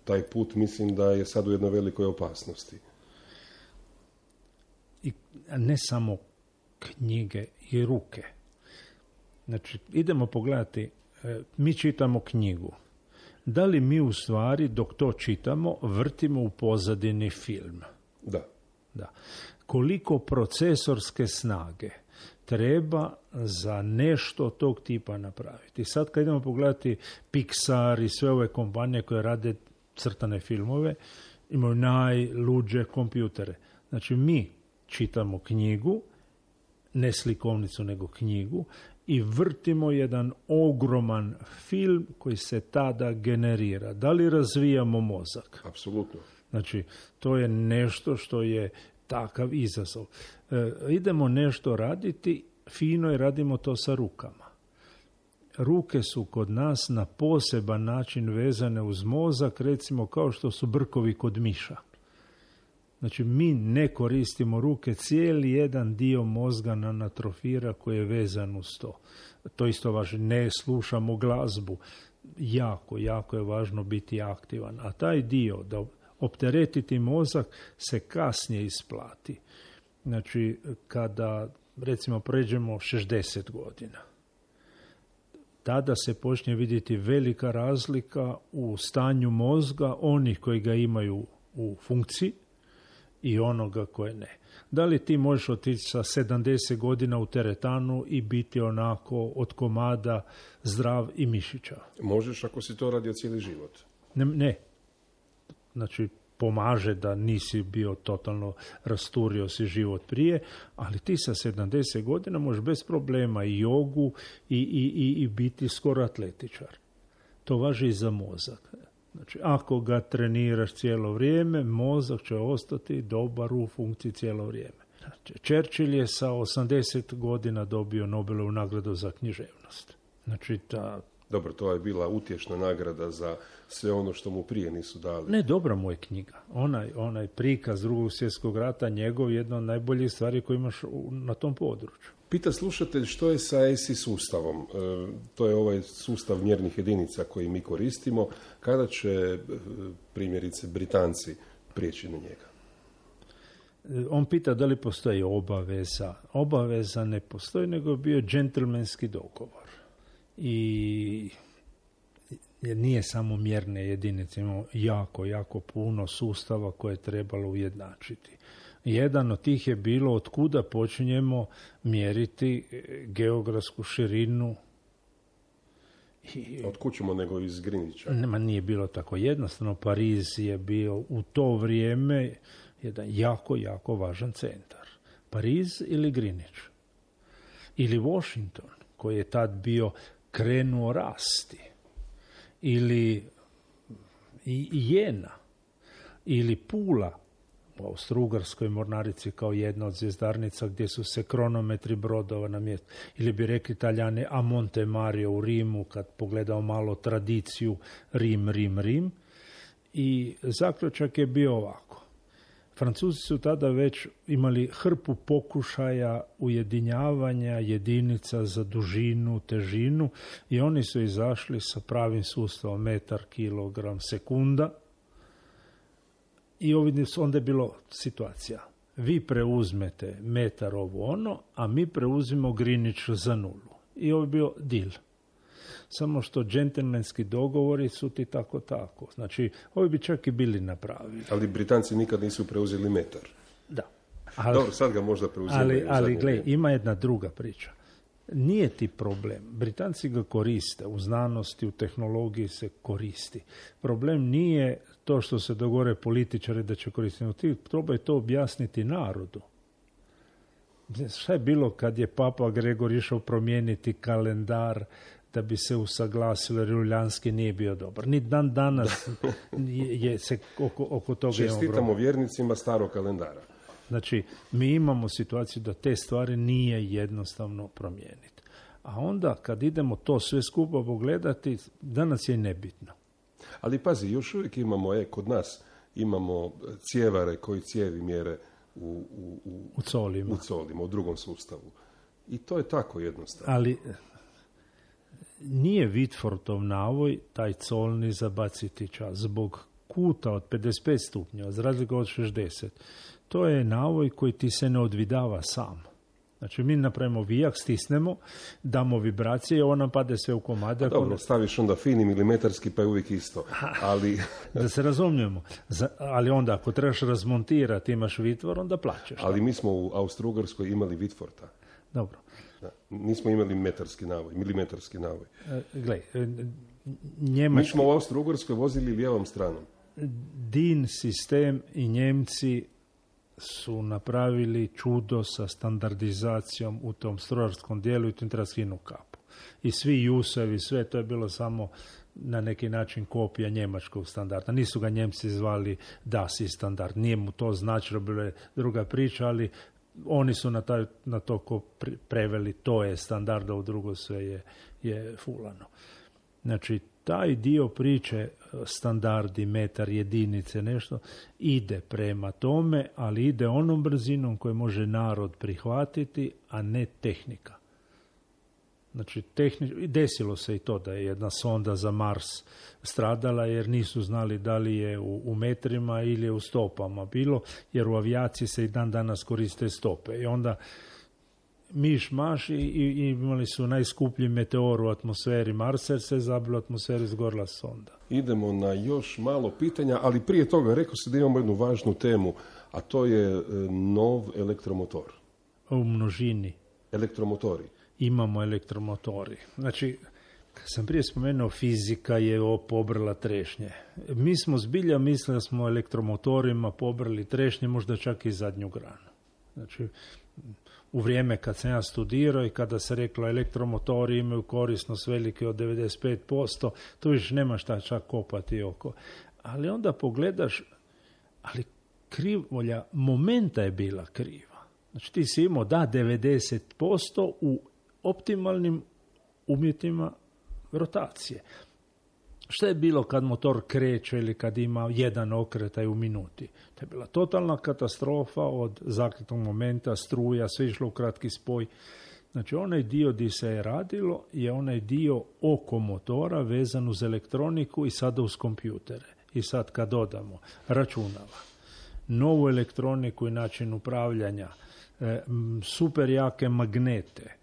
E: Taj put mislim da je sad u jednoj velikoj opasnosti.
F: I ne samo knjige i ruke. Znači, idemo pogledati, mi čitamo knjigu. Da li mi u stvari, dok to čitamo, vrtimo u pozadini film? Da. Koliko procesorske snage treba za nešto tog tipa napraviti? Sad kad idemo pogledati Pixar i sve ove kompanije koje rade crtane filmove, imaju najluđe kompjutere. Znači mi čitamo knjigu, ne slikovnicu nego knjigu, i vrtimo jedan ogroman film koji se tada generira. Da li razvijamo mozak?
E: Apsolutno.
F: Znači, to je nešto što je takav izazov. Idemo nešto raditi, fino i radimo to sa rukama. Ruke su kod nas na poseban način vezane uz mozak, recimo kao što su brkovi kod miša. Znači, mi ne koristimo ruke, cijeli jedan dio mozga nam atrofira koji je vezan uz to. To isto važno, ne slušamo glazbu. Jako je važno biti aktivan. A taj dio, da Opteretiti mozak se kasnije isplati. Znači, kada, recimo, pređemo 60 godina, tada se počne vidjeti velika razlika u stanju mozga onih koji ga imaju u funkciji i onoga koje ne. Da li ti možeš otići sa 70 godina u teretanu i biti onako od komada zdrav i mišićav?
E: Možeš ako si to radio cijeli život.
F: Ne. Znači, pomaže da nisi bio totalno rasturio si život prije, ali ti sa 70 godina možeš bez problema i jogu i biti skoro atletičar. To važi i za mozak. Znači, ako ga treniraš cijelo vrijeme, mozak će ostati dobar u funkciji cijelo vrijeme. Znači, Churchill je sa 80 godina dobio Nobelovu nagradu za književnost. Znači,
E: Dobro, to je bila utješna nagrada za sve ono što mu prije nisu dali.
F: Ne, dobra mu je knjiga. Onaj prikaz Drugog svjetskog rata, njegov jedna od najboljih stvari koje imaš na tom području.
E: Pita slušatelj što je sa ESI sustavom. To je ovaj sustav mjernih jedinica koji mi koristimo. Kada će primjerice Britanci prijeći na njega?
F: On pita da li postoji obaveza. Obaveza ne postoji, nego je bio džentlmenski dogovor. I nije samo mjerne jedinice, imamo jako puno sustava koje je trebalo ujednačiti. Jedan od tih je bilo od kuda počinjemo mjeriti geografsku širinu.
E: Od kud ćemo nego iz Greenwicha?
F: Nije bilo tako jednostavno. Pariz je bio u to vrijeme jedan jako važan centar. Pariz ili Greenwich. Ili Washington, koji je tad bio krenuo rasti. Ili Jena. Ili Pula u Austro-Ugarskoj mornarici kao jedna od zvjezdarnica gdje su se kronometri brodova na mjestu. Ili bi rekli Italijani a Monte Mario u Rimu, kad pogledao malo tradiciju Rim. I zaključak je bio ovako. Francuzi su tada već imali hrpu pokušaja ujedinjavanja jedinica za dužinu, težinu i oni su izašli sa pravim sustavom metar, kilogram, sekunda. I onda je bilo situacija. Vi preuzmete metar ovo ono, a mi preuzimo Greenwich za nulu. I ovo je bio deal. Samo što džentlmenski dogovori su ti tako. Znači, ovi bi čak i bili napravili.
E: Ali Britanci nikad nisu preuzeli metar.
F: Da.
E: Dobro, sad ga možda preuzimaju.
F: Ali gle, ima jedna druga priča. Nije ti problem. Britanci ga koriste. U znanosti, u tehnologiji se koristi. Problem nije to što se dogovore političari da će koristiti. Ti probaj to objasniti narodu. Šta je bilo kad je Papa Gregor išao promijeniti kalendar da bi se usaglasilo, jer Julijanski nije bio dobar. Ni dan danas je se oko toga imamo problem.
E: Čestitamo vjernicima starog kalendara.
F: Znači, mi imamo situaciju da te stvari nije jednostavno promijeniti. A onda, kad idemo to sve skupa pogledati, danas je nebitno.
E: Ali pazi, još uvijek imamo, kod nas imamo cijevare koji cijevi mjere u colima, u drugom sustavu. I to je tako jednostavno.
F: Ali nije Whitfordov navoj taj colni zabaciti čas zbog kuta od 55 stupnjeva, za razliku od 60. To je navoj koji ti se ne odvidava sam. Znači, mi napravimo vijak, stisnemo, damo vibracije i ovo nam pade sve u komade.
E: Dobro, staviš onda fini milimetarski, pa je uvijek isto. Ali...
F: Da se razumijemo. Ali onda, ako trebaš razmontirati, imaš Whitford, onda plaćeš.
E: Ali mi smo u Austro-Ugarskoj imali Whitforda.
F: Dobro.
E: Da, nismo imali milimetarski navoj.
F: Gle,
E: Mi smo u Austro-Ugarskoj vozili lijevom stranom.
F: DIN sistem i Njemci su napravili čudo sa standardizacijom u tom strojarskom dijelu i tu treba skinu kapu. I svi jusevi, sve to je bilo samo na neki način kopija njemačkog standarda. Nisu ga Njemci zvali DASI standard. Nije mu to značilo, bilo je druga priča, ali oni su na to preveli, to je standard, a u drugo sve je fulano. Znači, taj dio priče, standardi, metar, jedinice, nešto, ide prema tome, ali ide onom brzinom koju može narod prihvatiti, a ne tehnika. Znači, desilo se i to da je jedna sonda za Mars stradala jer nisu znali da li je u metrima ili je u stopama bilo, jer u avijaciji se i dan danas koriste stope. I onda miš maš i imali su najskuplji meteor u atmosferi Marsa jer se zabila atmosferi, izgorila sonda.
E: Idemo na još malo pitanja, ali prije toga rekao se da imamo jednu važnu temu, a to je nov elektromotor.
F: U množini.
E: Elektromotori.
F: Imamo elektromotori. Znači, kad sam prije spomenuo, fizika je pobrala trešnje. Mi smo zbilja mislili da smo elektromotorima pobrali trešnje, možda čak i zadnju granu. Znači, u vrijeme kad sam ja studirao i kada se reklo elektromotori imaju korisnost velike od 95%, to više nema šta čak kopati oko. Ali onda pogledaš, ali krivulja momenta je bila kriva. Znači ti si imao 90% u optimalnim uvjetima rotacije. Šta je bilo kad motor kreće ili kad ima jedan okretaj u minuti? To je bila totalna katastrofa od zakretnog momenta, struja, sve išlo u kratki spoj. Znači onaj dio gdje se je radilo je onaj dio oko motora vezan uz elektroniku i sada uz kompjutere. I sad kad dodamo računala, novu elektroniku i način upravljanja, super jake magnete,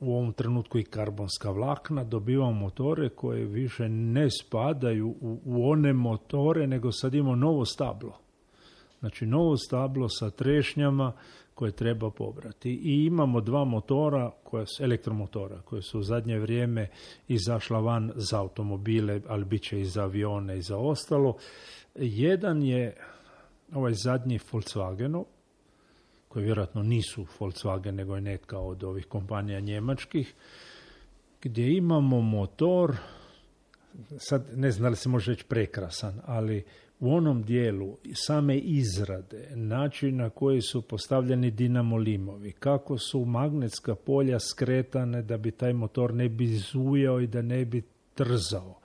F: u ovom trenutku i karbonska vlakna, dobivamo motore koje više ne spadaju u one motore, nego sad imamo novo stablo. Znači novo stablo sa trešnjama koje treba pobrati. I imamo dva motora, elektromotora, koje su u zadnje vrijeme izašla van za automobile, ali bit će i za avione i za ostalo. Jedan je ovaj zadnji Volkswagenov, koji vjerojatno nisu Volkswagen, nego je neka od ovih kompanija njemačkih, gdje imamo motor, sad ne znam da li se može reći prekrasan, ali u onom dijelu same izrade, način na koji su postavljeni dinamolimovi, kako su magnetska polja skretane da bi taj motor ne bi zujao i da ne bi trzao,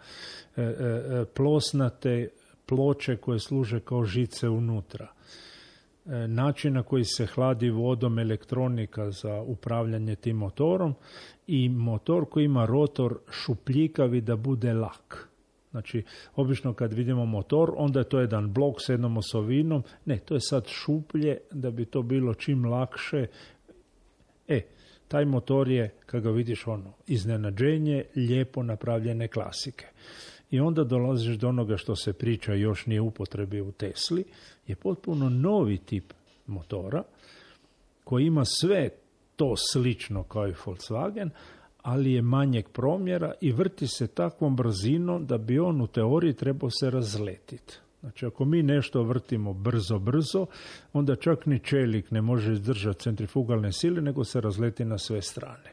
F: plosnate ploče koje služe kao žice unutra, način na koji se hladi vodom elektronika za upravljanje tim motorom i motor koji ima rotor šupljikavi da bude lak. Znači, obično kad vidimo motor, onda je to jedan blok s jednom osovinom. Ne, to je sad šuplje da bi to bilo čim lakše. Taj motor je, kad ga vidiš, iznenađenje lijepo napravljene klasike. I onda dolaziš do onoga što se priča, još nije u upotrebi u Tesli, je potpuno novi tip motora koji ima sve to slično kao i Volkswagen, ali je manjeg promjera i vrti se takvom brzinom da bi on u teoriji trebao se razletiti. Znači, ako mi nešto vrtimo brzo, onda čak ni čelik ne može izdržati centrifugalne sile, nego se razleti na sve strane.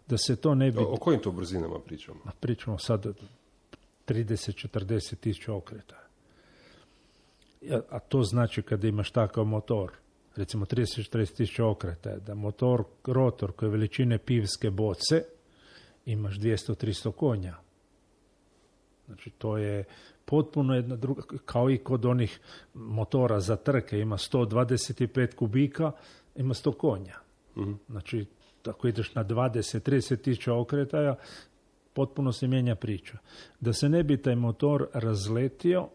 F: Da se to ne bi...
E: O kojim to brzinama pričamo?
F: Pričamo sad 30-40 tisuća okreta. A to znači kada imaš takav motor, recimo 30-40 tisuća okreta, da motor, rotor koji je veličine pivske boce, imaš 200-300 konja. Znači to je potpuno jedna druga, kao i kod onih motora za trke, ima 125 kubika, ima 100 konja. Mm-hmm. Znači, ako ideš na 20-30 tisuća okretaja, potpuno se mijenja priča. Da se ne bi taj motor razletio,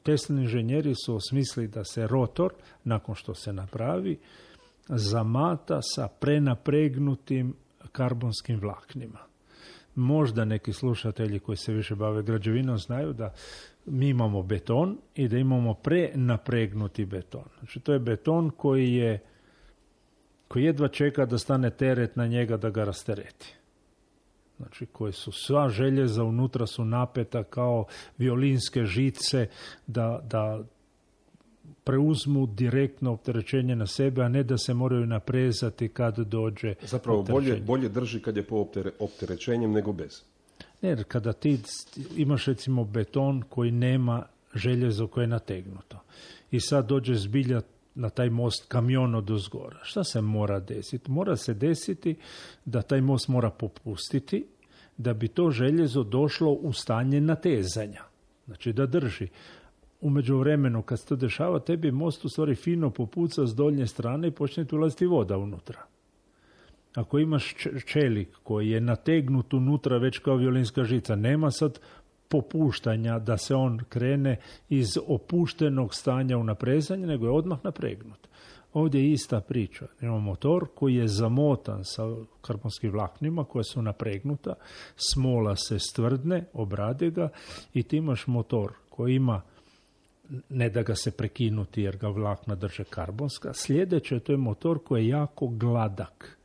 F: Teslini inženjeri su osmislili da se rotor, nakon što se napravi, zamata sa prenapregnutim karbonskim vlaknima. Možda neki slušatelji koji se više bave građevinom znaju da mi imamo beton i da imamo prenapregnuti beton. Znači to je beton koji jedva čeka da stane teret na njega da ga rastereti. Znači koji su sva željeza unutra su napeta kao violinske žice da preuzmu direktno opterećenje na sebe, a ne da se moraju naprezati kad dođe
E: zapravo bolje drži kad je po opterećenjem nego bez.
F: Ne, kada ti imaš recimo beton koji nema željezo koje je nategnuto i sad dođe zbilja na taj most kamion od uzgora. Šta se mora desiti? Mora se desiti da taj most mora popustiti da bi to željezo došlo u stanje natezanja. Znači da drži. U međuvremenu kad se to dešava, tebi most u stvari fino popuca s donje strane i počne tu ulaziti voda unutra. Ako imaš čelik koji je nategnut unutra već kao violinska žica, nema sad popuštanja da se on krene iz opuštenog stanja u naprezanje, nego je odmah napregnut. Ovdje je ista priča. Imamo motor koji je zamotan sa karbonskim vlaknima koja su napregnuta, smola se stvrdne, obrade ga i ti imaš motor koji ima, ne da ga se prekinuti jer ga vlakna drže karbonska, sljedeće to je motor koji je jako gladak.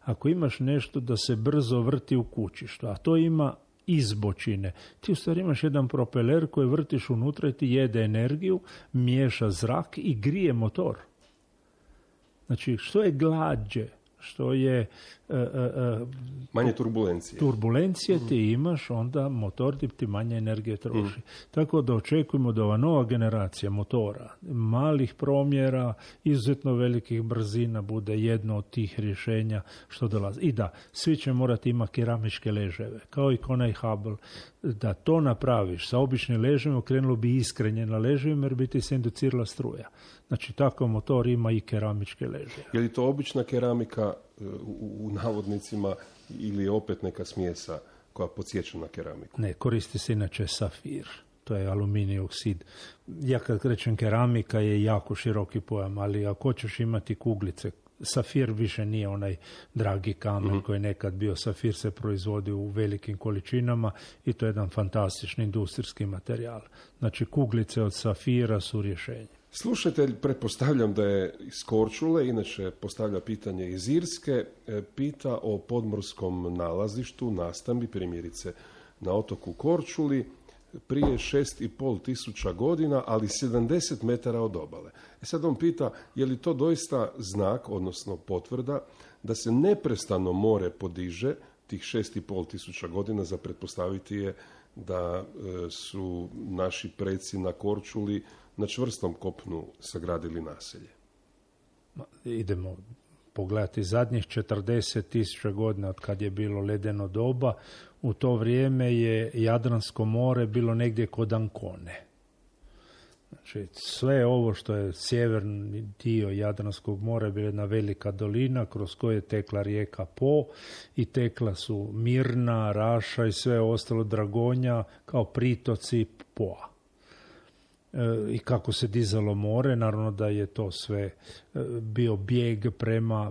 F: Ako imaš nešto da se brzo vrti u kućištu, a to ima izbočine, ti u stvari imaš jedan propeler koji vrtiš unutra i ti jede energiju, miješa zrak i grije motor. Znači, što je glađe, što je
E: manje turbulencije.
F: Turbulencije ti imaš, onda motor ti manje energije troši. Tako da očekujemo da ova nova generacija motora, malih promjera, izuzetno velikih brzina bude jedno od tih rješenja što dolazi. I da, svi će morati imati keramičke leževe, kao i onaj Hubble. Da to napraviš sa običnim leževima, krenulo bi iskrenje na leževima jer bi ti se inducirala struja. Znači, takav motor ima i keramičke leževe.
E: Je li to obična keramika u navodnicima ili je opet neka smjesa koja podsjeća na keramiku?
F: Ne, koristi se inače safir. To je aluminij oksid. Ja kad krećem keramika je jako široki pojam, ali ako hoćeš imati kuglice, safir više nije onaj dragi kamen koji je nekad bio. Safir se proizvodi u velikim količinama i to je jedan fantastični industrijski materijal. Znači, kuglice od safira su rješenje.
E: Slušatelj, pretpostavljam da je iz Korčule, inače postavlja pitanje iz Irske, pita o podmorskom nalazištu, nastambi, primjerice na otoku Korčuli, prije 6,5 tisuća godina, ali 70 metara od obale. Sad on pita, je li to doista znak, odnosno potvrda, da se neprestano more podiže tih 6,5 tisuća godina, za pretpostaviti je da su naši preci na Korčuli na čvrstom kopnu sagradili naselje.
F: Idemo pogledati zadnjih 40.000 godina od kad je bilo ledeno doba. U to vrijeme je Jadransko more bilo negdje kod Ancone. Znači, sve ovo što je sjeverni dio Jadranskog mora je bila jedna velika dolina kroz koju je tekla rijeka Po i tekla su Mirna, Raša i sve ostalo, Dragonja kao pritoci Poa. I kako se dizalo more, naravno da je to sve bio bijeg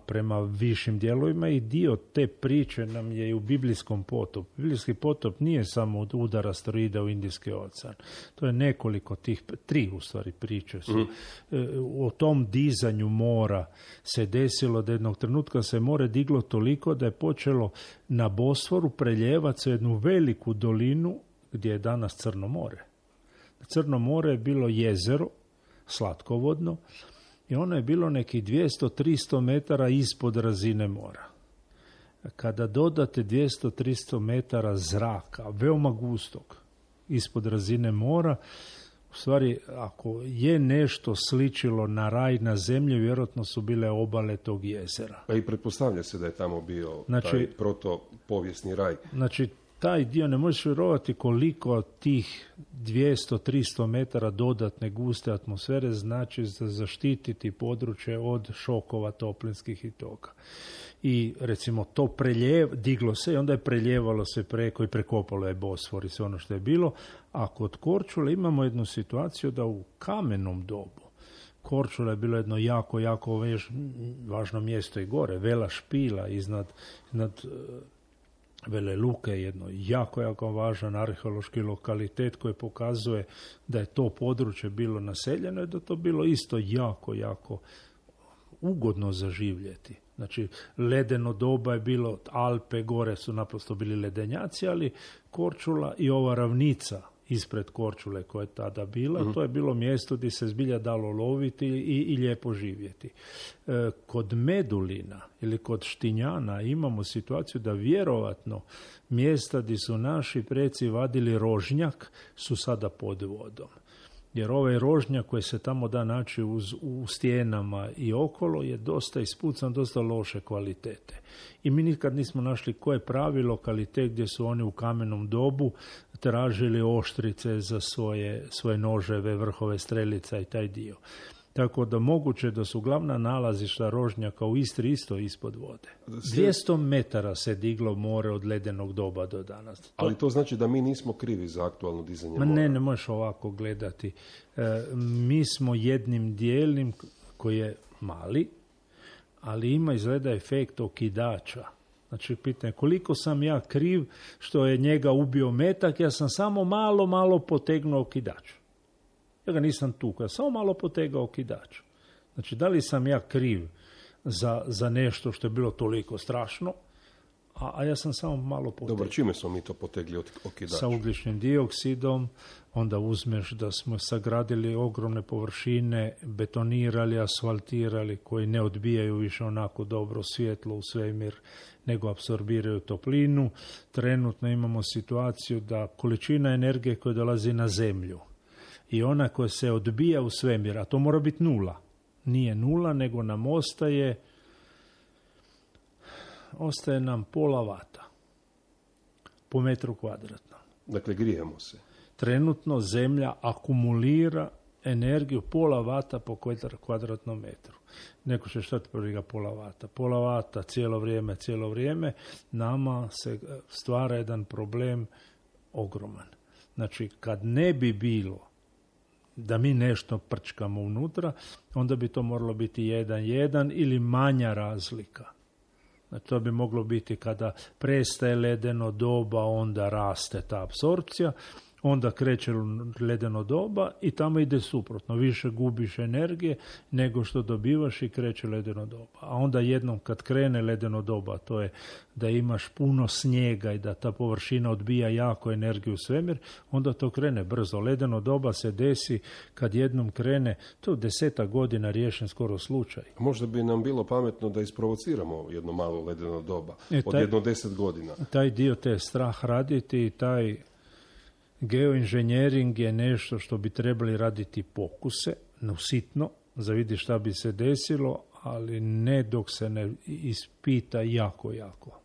F: prema višim dijelovima i dio te priče nam je i u biblijskom potopu. Biblijski potop nije samo od udara asteroida u Indijski ocean. To je nekoliko tih, 3 u stvari priče su. O tom dizanju mora se desilo da jednog trenutka se more diglo toliko da je počelo na Bosforu preljevati se jednu veliku dolinu gdje je danas Crno more. Crno more je bilo jezero, slatkovodno, i ono je bilo nekih 200-300 metara ispod razine mora. Kada dodate 200-300 metara zraka, veoma gustog, ispod razine mora, u stvari, ako je nešto sličilo na raj na zemlji, vjerojatno su bile obale tog jezera.
E: Pa i pretpostavlja se da je tamo bio taj protopovijesni raj.
F: Znači, taj dio ne možeš vjerovati koliko tih 200-300 metara dodatne guste atmosfere znači za zaštititi područje od šokova toplinskih i toga. I recimo to diglo se i onda je preljevalo se preko i prekopalo je Bosfor i sve ono što je bilo. A kod Korčule imamo jednu situaciju da u kamenom dobu Korčula je bilo jedno jako važno mjesto i gore, Vela Špila iznad Vele Luke, jedno jako važan arheološki lokalitet koji pokazuje da je to područje bilo naseljeno i da to bilo isto jako ugodno za živjeti. Znači, ledeno doba je bilo, Alpe gore su naprosto bili ledenjaci, ali Korčula i ova ravnica ispred Korčule koja je tada bila, to je bilo mjesto gdje se zbilja dalo loviti i lijepo živjeti. Kod Medulina ili kod Štinjana imamo situaciju da vjerovatno mjesta gdje su naši preci vadili rožnjak su sada pod vodom. Jer ovaj rožnjak koji se tamo da naći u stijenama i okolo je dosta ispucan, dosta loše kvalitete. I mi nikad nismo našli koji je pravi lokalitet gdje su oni u kamenom dobu tražili oštrice za svoje noževe, vrhove strelica i taj dio. Tako da moguće da su glavna nalazišta rožnjaka u Istri isto ispod vode. 200 metara se diglo more od ledenog doba do danas.
E: Ali to znači da mi nismo krivi za aktualno dizanje mora?
F: Ne možeš ovako gledati. Mi smo jednim dijelnim koji je mali, ali ima izgleda efekt okidača. Znači, pitanje koliko sam ja kriv što je njega ubio metak, ja sam samo malo potegnuo okidač. Ja ga nisam tukao, ja samo malo potegao okidač. Znači, da li sam ja kriv za nešto što je bilo toliko strašno, a ja sam samo malo potegao.
E: Dobro, čime smo mi to potegli okidač?
F: Sa ugljičnim dioksidom, onda uzmeš da smo sagradili ogromne površine, betonirali, asfaltirali, koji ne odbijaju više onako dobro svjetlo u svemir, nego apsorbiraju toplinu. Trenutno imamo situaciju da količina energije koja dolazi na zemlju i ona koja se odbija u svemir, a to mora biti 0. Nije 0, nego nam ostaje nam pola vata po metru kvadratnom.
E: Dakle, grijemo se.
F: Trenutno zemlja akumulira energiju pola vata po kvadratnom metru. Neko će šta ti prvi pola vata? Pola vata cijelo vrijeme, nama se stvara jedan problem ogroman. Znači, kad ne bi bilo da mi nešto prčkamo unutra, onda bi to moralo biti 1:1 ili manja razlika. Znači, to bi moglo biti kada prestaje ledeno doba, onda raste ta apsorpcija, onda kreće ledeno doba i tamo ide suprotno. Više gubiš energije nego što dobivaš i kreće ledeno doba. A onda jednom kad krene ledeno doba, to je da imaš puno snijega i da ta površina odbija jako energiju u svemir, onda to krene brzo. Ledeno doba se desi kad jednom krene, to je 10 godina riješen skoro slučaj.
E: Možda bi nam bilo pametno da isprovociramo jedno malo ledeno doba od jedno 10 godina. Taj
F: dio te strah raditi i taj geoinženjering je nešto što bi trebali raditi pokuse, sitno, za vidi šta bi se desilo, ali ne dok se ne ispita jako.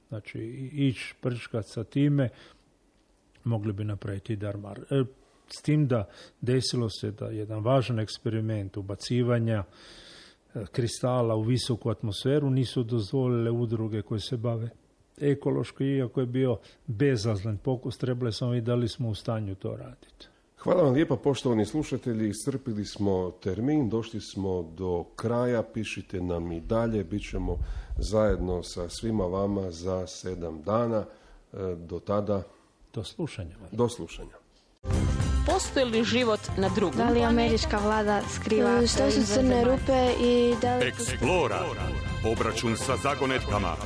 F: Znači, ići prčkat sa time, mogli bi napraviti darmar. S tim da desilo se da jedan važan eksperiment ubacivanja kristala u visoku atmosferu nisu dozvolile udruge koje se bave ekološki, iako je bio bezazlen pokus, trebali smo i da li smo u stanju to raditi.
E: Hvala vam lijepa, poštovani slušatelji, iscrpili smo termin, došli smo do kraja, pišite nam i dalje, bit ćemo zajedno sa svima vama za 7 dana, do tada...
F: Do slušanja.
E: Do slušanja.
A: Postoji li život na drugom?
B: Da li američka vlada skriva?
C: Što su crne rupe i da li...
D: Explora. Obračun sa zagonetkama.